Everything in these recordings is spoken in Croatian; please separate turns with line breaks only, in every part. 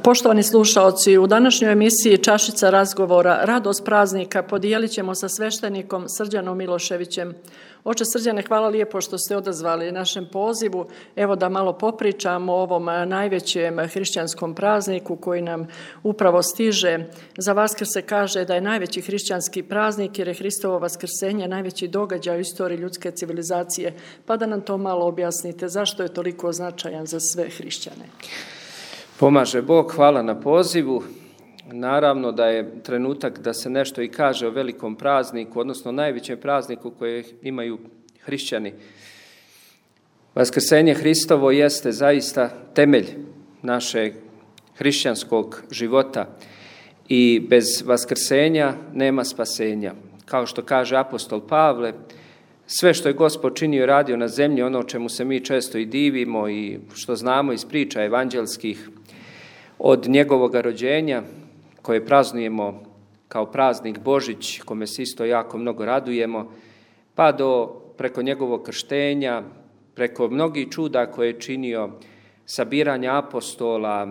Poštovani slušaoci, u današnjoj emisiji Čašica razgovora Radost praznika podijelit ćemo sa sveštenikom Srđanom Miloševićem. Oče Srđane, hvala lijepo što ste odazvali našem pozivu. Evo da malo popričamo o ovom najvećem hrišćanskom prazniku koji nam upravo stiže. Za Vaskrs se kaže da je najveći hrišćanski praznik jer je Hristovo vaskrsenje najveći događaj u istoriji ljudske civilizacije. Pa da nam to malo objasnite, zašto je toliko značajan za sve hrišćane?
Pomaže Bog, hvala na pozivu. Naravno da je trenutak da se nešto i kaže o velikom prazniku, odnosno najvećem prazniku koje imaju hrišćani. Vaskrsenje Hristovo jeste zaista temelj našeg hrišćanskog života i bez vaskrsenja nema spasenja. Kao što kaže apostol Pavle, sve što je Gospod činio i radio na zemlji, ono čemu se mi često i divimo i što znamo iz priča evanđelskih, od njegovog rođenja, koje praznujemo kao praznik Božić, kome se isto jako mnogo radujemo, pa preko njegovog krštenja, preko mnogih čuda koje je činio, sabiranja apostola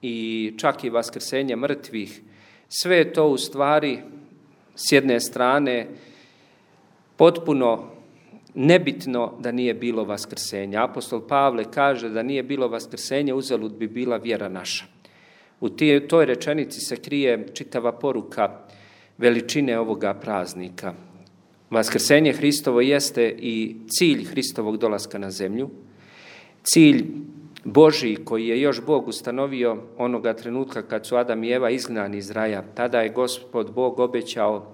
i čak i vaskrsenja mrtvih. Sve je to u stvari s jedne strane potpuno nebitno da nije bilo vaskrsenja. Apostol Pavle kaže da nije bilo vaskrsenja, uzalud bi bila vjera naša. U toj rečenici se krije čitava poruka veličine ovoga praznika. Vaskrsenje Hristovo jeste i cilj Hristovog dolaska na zemlju, cilj Božji koji je još Bog ustanovio onoga trenutka kad su Adam i Eva izgnani iz raja. Tada je Gospod Bog obećao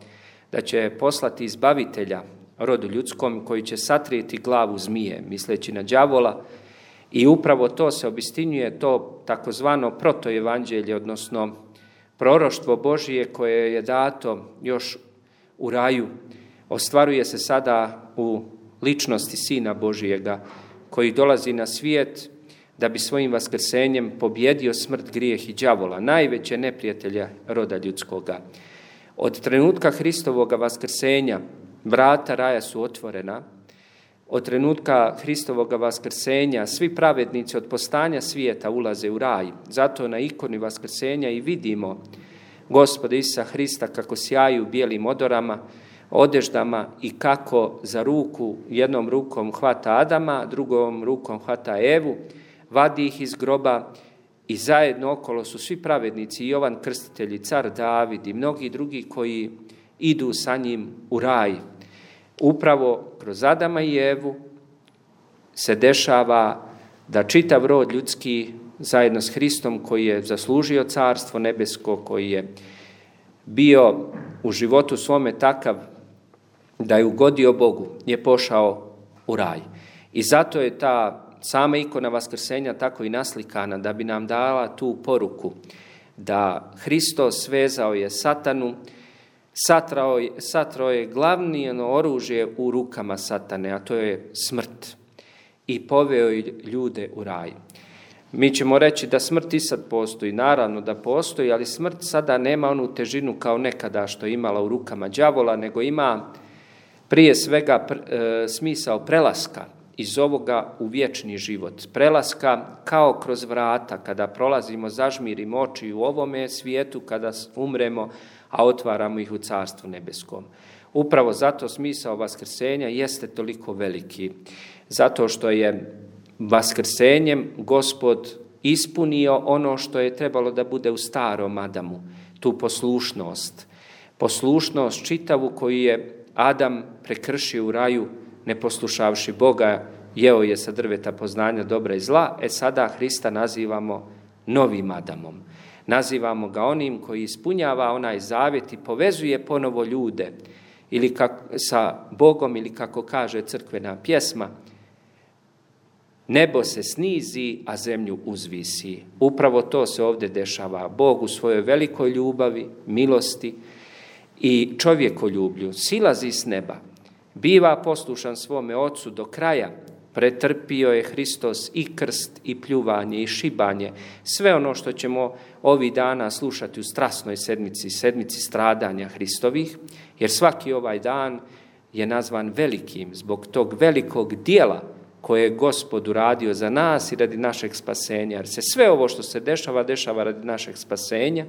da će poslati izbavitelja rodu ljudskom koji će satrijeti glavu zmije, misleći na đavola. I upravo to se obistinjuje, to takozvano protoevanđelje, odnosno proroštvo Božije koje je dato još u raju, ostvaruje se sada u ličnosti Sina Božijega koji dolazi na svijet da bi svojim vaskrsenjem pobjedio smrt, grijeh i đavola, najveće neprijatelja roda ljudskoga. Od trenutka Hristovoga vaskrsenja vrata raja su otvorena. Od trenutka Hristovoga vaskrsenja svi pravednici od postanja svijeta ulaze u raj. Zato na ikoni vaskrsenja i vidimo Gospoda Isusa Hrista kako sjaju bijelim odeždama i kako za ruku, jednom rukom hvata Adama, drugom rukom hvata Evu, vadi ih iz groba i zajedno okolo su svi pravednici, Jovan Krstitelj, car David i mnogi drugi koji idu sa njim u raj. Upravo kroz Adama i Evu se dešava da čitav rod ljudski zajedno s Hristom koji je zaslužio carstvo nebesko, koji je bio u životu svome takav da je ugodio Bogu, je pošao u raj. I zato je ta sama ikona vaskrsenja tako i naslikana da bi nam dala tu poruku da Hristos svezao je satanu, satrao je glavno oružje u rukama satane, a to je smrt, i poveo je ljude u raj. Mi ćemo reći da smrt i sad postoji, naravno da postoji, ali smrt sada nema onu težinu kao nekada što je imala u rukama đavola, nego ima prije svega smisao prelaska iz ovoga u vječni život. Prelaska kao kroz vrata, kada prolazimo, zažmirimo oči u ovome svijetu, kada umremo, a otvaramo ih u Carstvu nebeskom. Upravo zato smisao vaskrsenja jeste toliko veliki. Zato što je vaskrsenjem Gospod ispunio ono što je trebalo da bude u starom Adamu, tu poslušnost. Poslušnost čitavu koju je Adam prekršio u raju, ne poslušavši Boga, jeo je sa drveta poznanja dobra i zla. Sada Hrista nazivamo novim Adamom. Nazivamo ga onim koji ispunjava onaj zavjet i povezuje ponovo ljude ili sa Bogom, ili kako kaže crkvena pjesma, nebo se snizi, a zemlju uzvisi. Upravo to se ovdje dešava. Bog u svojoj velikoj ljubavi, milosti i čovjekoljublju silazi s neba, biva poslušan svome Ocu do kraja, pretrpio je Hristos i krst i pljuvanje i šibanje, sve ono što ćemo ovih dana slušati u strasnoj sedmici stradanja Hristovih, jer svaki ovaj dan je nazvan velikim zbog tog velikog dijela koje je Gospod uradio za nas i radi našeg spasenja. Jer se sve ovo što se dešava, dešava radi našeg spasenja,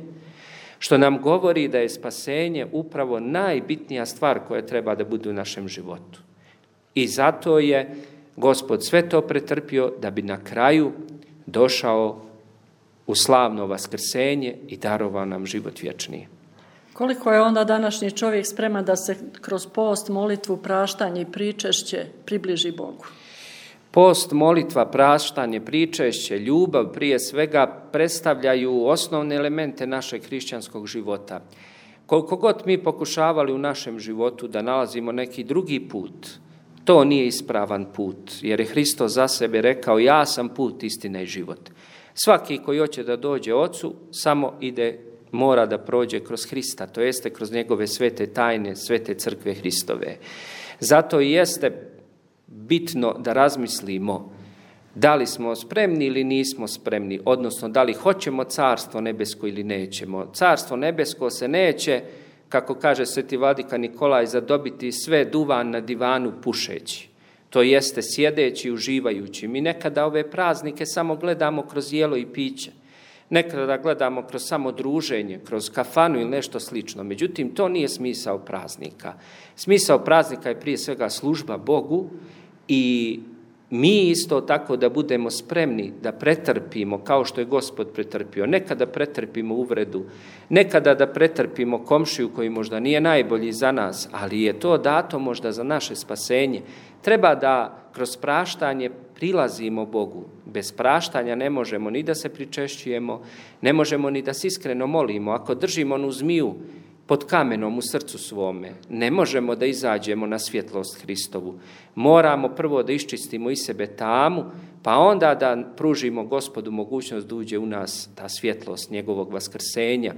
što nam govori da je spasenje upravo najbitnija stvar koja treba da bude u našem životu. I zato je Gospod sve to pretrpio da bi na kraju došao u slavno vaskrsenje i darovao nam život vječni.
Koliko je onda današnji čovjek spreman da se kroz post, molitvu, praštanje i pričešće približi Bogu?
Post, molitva, praštanje, pričešće, ljubav prije svega predstavljaju osnovne elemente našeg hrišćanskog života. Koliko god mi pokušavali u našem životu da nalazimo neki drugi put, to nije ispravan put, jer je Hristos za sebe rekao: ja sam put, istina i život. Svaki koji hoće da dođe Ocu samo mora da prođe kroz Hrista, to jeste kroz njegove svete tajne, svete crkve Hristove. Zato i jeste bitno da razmislimo da li smo spremni ili nismo spremni, odnosno da li hoćemo carstvo nebesko ili nećemo. Carstvo nebesko se neće, kako kaže sveti vladika Nikolaj, zadobiti sve duvan na divanu pušeći. To jeste sjedeći i uživajući. Mi nekada ove praznike samo gledamo kroz jelo i piće. Nekada gledamo kroz samo druženje, kroz kafanu ili nešto slično. Međutim, to nije smisao praznika. Smisao praznika je prije svega služba Bogu i mi isto tako da budemo spremni da pretrpimo kao što je Gospod pretrpio. Nekada pretrpimo uvredu, nekada da pretrpimo komšiju koji možda nije najbolji za nas, ali je to dato možda za naše spasenje. Treba da kroz praštanje prilazimo Bogu. Bez praštanja ne možemo ni da se pričešćujemo, ne možemo ni da se iskreno molimo. Ako držimo onu zmiju pod kamenom u srcu svome, ne možemo da izađemo na svjetlost Hristovu. Moramo prvo da iščistimo iz sebe tamu, pa onda da pružimo Gospodu mogućnost da uđe u nas ta svjetlost njegovog vaskrsenja.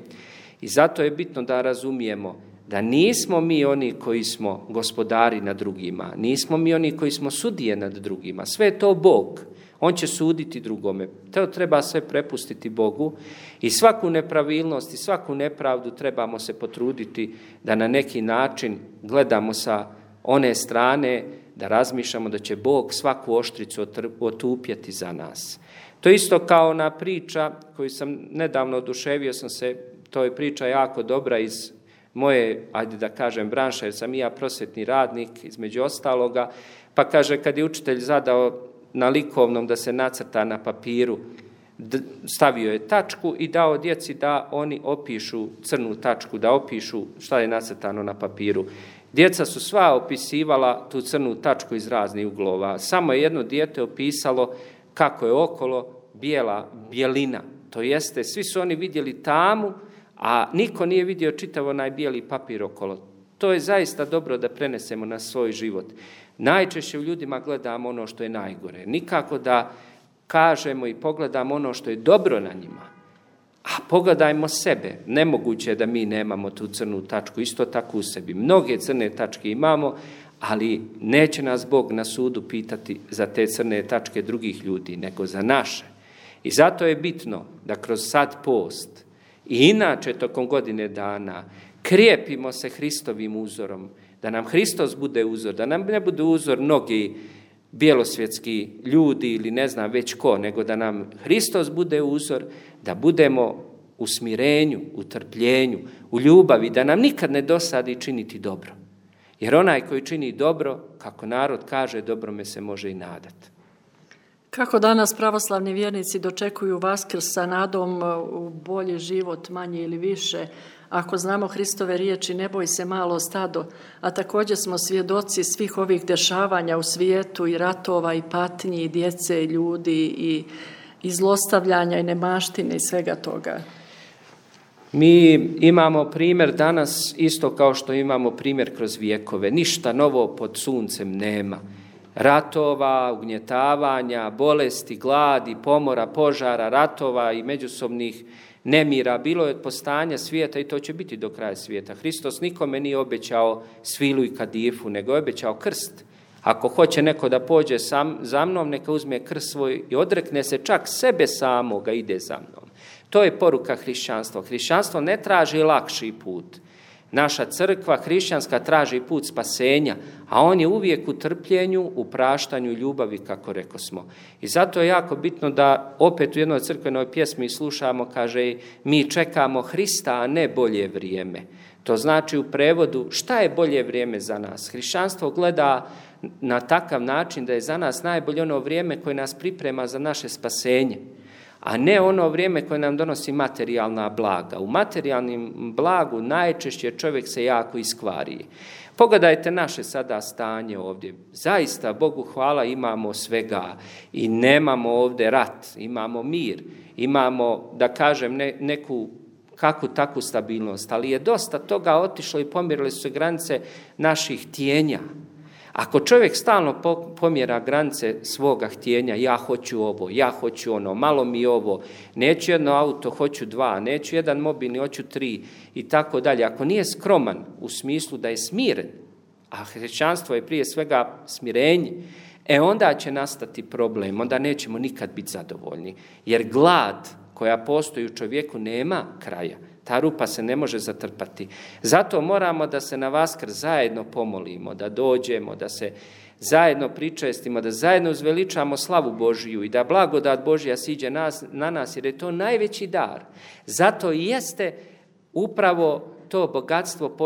I zato je bitno da razumijemo da nismo mi oni koji smo gospodari nad drugima, nismo mi oni koji smo sudije nad drugima, sve je to Bog. On će suditi drugome. To treba sve prepustiti Bogu i svaku nepravilnost i svaku nepravdu trebamo se potruditi da na neki način gledamo sa one strane, da razmišljamo da će Bog svaku oštricu otupjeti za nas. To isto kao ona priča koju sam nedavno oduševio sam se, to je priča jako dobra iz moje, ajde da kažem, branše, jer sam i ja prosvjetni radnik, između ostaloga, pa kaže kad je učitelj zadao na likovnom da se nacrta na papiru, stavio je tačku i dao djeci da oni opišu crnu tačku, da opišu šta je nacrtano na papiru. Djeca su sva opisivala tu crnu tačku iz raznih uglova. Samo je jedno dijete opisalo kako je okolo bijelina. To jeste, svi su oni vidjeli tamu, a niko nije vidio čitav onaj bijeli papir okolo. To je zaista dobro da prenesemo na svoj život. Najčešće u ljudima gledamo ono što je najgore. Nikako da kažemo i pogledamo ono što je dobro na njima. A pogledajmo sebe. Nemoguće je da mi nemamo tu crnu tačku. Isto tako u sebi. Mnoge crne tačke imamo, ali neće nas Bog na sudu pitati za te crne tačke drugih ljudi, nego za naše. I zato je bitno da kroz sad post i inače tokom godine dana krijepimo se Hristovim uzorom, da nam Hristos bude uzor, da nam ne bude uzor mnogi bjelosvjetski ljudi ili ne znam već ko, nego da nam Hristos bude uzor, da budemo u smirenju, u trpljenju, u ljubavi, da nam nikad ne dosadi činiti dobro. Jer onaj koji čini dobro, kako narod kaže, dobrome se može i nadati.
Kako danas pravoslavni vjernici dočekuju Vaskrs sa nadom u bolji život, manje ili više, ako znamo Hristove riječi ne boj se malo stado, a također smo svjedoci svih ovih dešavanja u svijetu i ratova i patnji i djece i ljudi i zlostavljanja i nemaštine i svega toga.
Mi imamo primjer danas isto kao što imamo primjer kroz vijekove. Ništa novo pod suncem nema. Ratova, ugnjetavanja, bolesti, gladi, pomora, požara, ratova i međusobnih nemira. Bilo je od postanja svijeta i to će biti do kraja svijeta. Hristos nikome nije obećao svilu i kadifu, nego je obećao krst. Ako hoće neko da pođe za mnom, neka uzme krst svoj i odrekne se čak sebe samoga, ide za mnom. To je poruka hrišćanstva. Hrišćanstvo ne traži lakši put, Naša crkva hrišćanska traži put spasenja, a on je uvijek u trpljenju, u praštanju i ljubavi, kako rekosmo. I zato je jako bitno da opet u jednoj crkvenoj pjesmi slušamo, kaže, mi čekamo Hrista, a ne bolje vrijeme. To znači u prevodu, šta je bolje vrijeme za nas? Hrišćanstvo gleda na takav način da je za nas najbolje ono vrijeme koje nas priprema za naše spasenje, a ne ono vrijeme koje nam donosi materijalna blaga. U materijalnim blagu najčešće čovjek se jako iskvari. Pogledajte naše sada stanje ovdje. Zaista, Bogu hvala, imamo svega i nemamo ovdje rat, imamo mir, imamo, da kažem, neku kakvu takvu stabilnost, ali je dosta toga otišlo i pomjerile su se granice naših htjenja. Ako čovjek stalno pomjera granice svoga htjenja, ja hoću ovo, ja hoću ono, malo mi ovo, neću jedno auto, hoću 2, neću jedan mobilni, hoću 3 i tako dalje. Ako nije skroman u smislu da je smiren, a hrišćanstvo je prije svega smirenje, onda će nastati problem, onda nećemo nikad biti zadovoljni. Jer glad koja postoji u čovjeku nema kraja. Ta rupa se ne može zatrpati. Zato moramo da se na Vaskrs zajedno pomolimo, da dođemo, da se zajedno pričestimo, da zajedno uzveličamo slavu Božiju i da blagodat Božja siđe na nas, jer je to najveći dar. Zato i jeste upravo to bogatstvo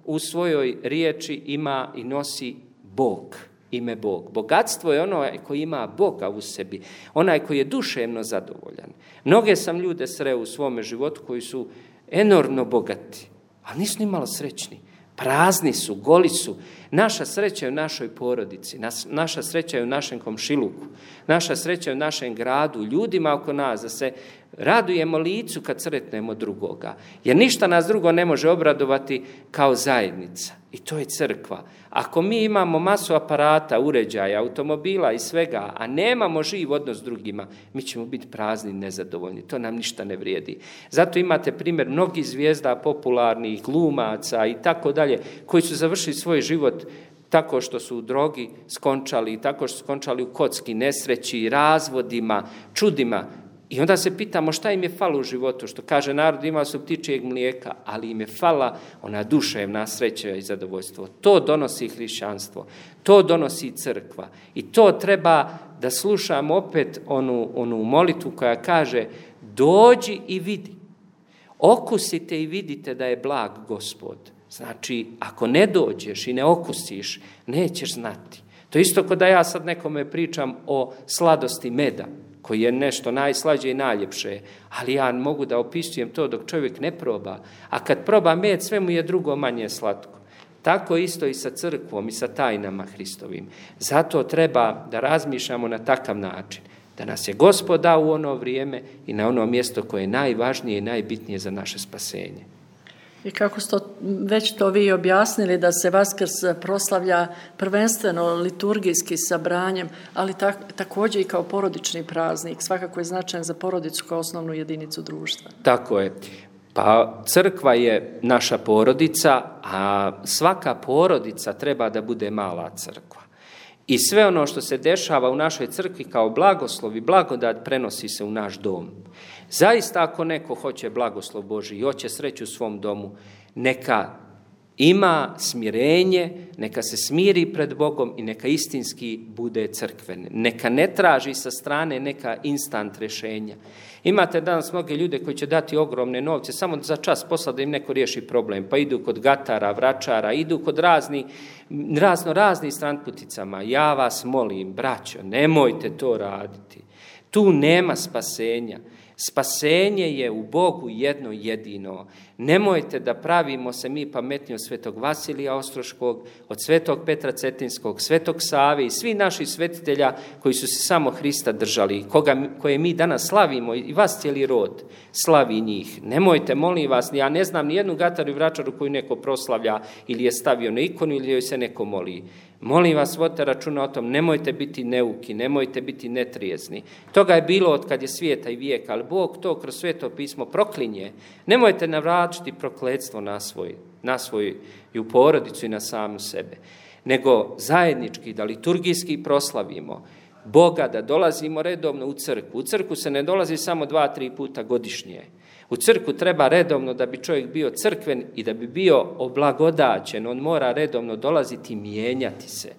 u svojoj riječi ima i nosi Bog. Ime Bog. Bogatstvo je ono koji ima Boga u sebi, onaj koji je duševno zadovoljan. Mnoge sam ljude sreo u svome životu koji su enormno bogati, ali nisu ni malo srećni. Prazni su, goli su. Naša sreća je u našoj porodici, naša sreća je u našem komšiluku, naša sreća je u našem gradu, ljudima oko nas, da se radujemo licu kad sretnemo drugoga. Jer ništa nas drugo ne može obradovati kao zajednica. I to je crkva. Ako mi imamo masu aparata, uređaja, automobila i svega, a nemamo živ odnos s drugima, mi ćemo biti prazni i nezadovoljni. To nam ništa ne vrijedi. Zato imate primjer mnogih zvijezda, popularnih, glumaca i tako dalje, koji su završili svoj život tako što su u drogi skončali, tako što su skončali u kocki, nesreći, razvodima, čudima. I onda se pitamo šta im je falo u životu, što kaže narod, imao su ptičijeg mlijeka, ali im je fala ona duševna sreća i zadovoljstvo. To donosi hrišćanstvo, to donosi crkva i to treba da slušamo opet onu molitvu koja kaže dođi i vidi, okusite i vidite da je blag Gospod. Znači, ako ne dođeš i ne okusiš, nećeš znati. To isto kao da ja sad nekome pričam o sladosti meda, koji je nešto najslađe i najljepše, ali ja mogu da opisujem to dok čovjek ne proba, a kad proba med, sve mu je drugo manje slatko. Tako isto i sa crkvom i sa tajnama Hristovim. Zato treba da razmišljamo na takav način, da nas je Gospod dao u ono vrijeme i na ono mjesto koje je najvažnije i najbitnije za naše spasenje.
I kako ste već to vi objasnili, da se Vaskrs proslavlja prvenstveno liturgijski sabranjem, ali također i kao porodični praznik, svakako je značajan za porodicu kao osnovnu jedinicu društva.
Tako je. Pa crkva je naša porodica, a svaka porodica treba da bude mala crkva. I sve ono što se dešava u našoj crkvi kao blagoslov i blagodat prenosi se u naš dom. Zaista ako neko hoće blagoslov Božji i hoće sreću u svom domu, neka ima smirenje, neka se smiri pred Bogom i neka istinski bude crkven. Neka ne traži sa strane neka instant rješenja. Imate danas mnoge ljude koji će dati ogromne novce samo za čas posla da im neko riješi problem, pa idu kod gatara, vračara, idu kod raznih stranputicama. Ja vas molim, braćo, nemojte to raditi. Tu nema spasenja. Spasenje je u Bogu jedno jedino. Nemojte da pravimo se mi pametni od svetog Vasilija Ostroškog, od svetog Petra Cetinskog, svetog Save i svi naših svetitelja koji su se samo Hrista držali, koje mi danas slavimo i vas cijeli rod slavi njih. Nemojte, molim vas, ja ne znam ni jednu gataru i vračaru koju neko proslavlja ili je stavio na ikonu ili joj se neko moli. Molim vas, vodite računa o tom, nemojte biti neuki, nemojte biti netrijezni. Toga je bilo od kad je svijeta i vijeka, ali Bog to kroz Sveto pismo proklinje. Nemojte navraćiti prokletstvo na svoju porodicu i na samu sebe, nego zajednički da liturgijski proslavimo, Boga, da dolazimo redovno u crkvu. U crkvu se ne dolazi samo 2-3 puta godišnje. U crkvu treba redovno da bi čovjek bio crkven i da bi bio oblagodaćen. On mora redovno dolaziti i mijenjati se.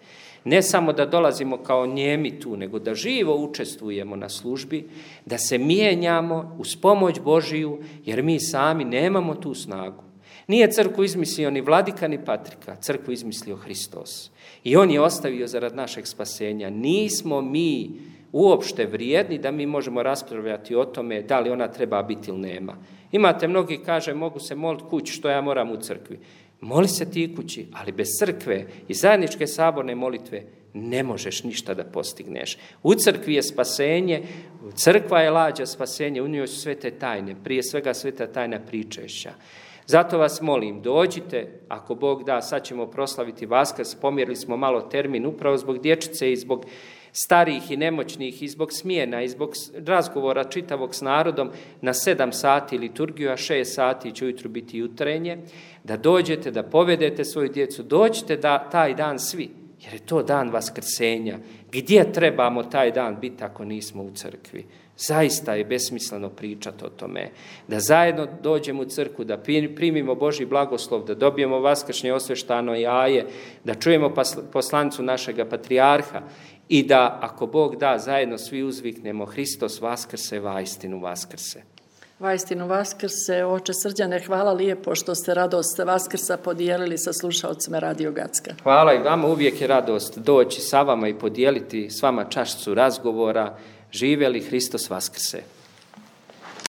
Ne samo da dolazimo kao njemi tu, nego da živo učestvujemo na službi, da se mijenjamo uz pomoć Božiju, jer mi sami nemamo tu snagu. Nije crkvu izmislio ni vladika ni patrika, crkvu izmislio Hristos. I on je ostavio zarad našeg spasenja. Nismo mi uopšte vrijedni da mi možemo raspravljati o tome da li ona treba biti ili nema. Imate mnogi kaže mogu se moliti kući, što ja moram u crkvi. Moli se ti kući, ali bez crkve i zajedničke saborne molitve ne možeš ništa da postigneš. U crkvi je spasenje, crkva je lađa spasenje, u njoj su sve te tajne, prije svega sveta tajna pričešća. Zato vas molim, dođite, ako Bog da, sad ćemo proslaviti Vaskrs, pomjerili smo malo termin upravo zbog dječice i zbog starih i nemoćnih i zbog smjena i zbog razgovora čitavog s narodom na 7 sati liturgiju, a 6 sati će ujutru biti jutrenje, da dođete, da povedete svoju djecu, dođite da taj dan svi, jer je to dan Vaskrsenja. Gdje trebamo taj dan biti ako nismo u crkvi? Zaista je besmisleno pričati o tome. Da zajedno dođemo u crkvu, da primimo Božji blagoslov, da dobijemo vaskršnje osveštano jaje, da čujemo poslanicu našega patrijarha i da, ako Bog da, zajedno svi uzviknemo Hristos vaskrse, vaistinu vaskrse.
Vaistinu vaskrse, oče Srđane, hvala lijepo što ste radost Vaskrsa podijelili sa slušalcima Radio Gacka.
Hvala i vama, uvijek je radost doći sa vama i podijeliti s vama čašicu razgovora. Živjeli Hristos vaskrse.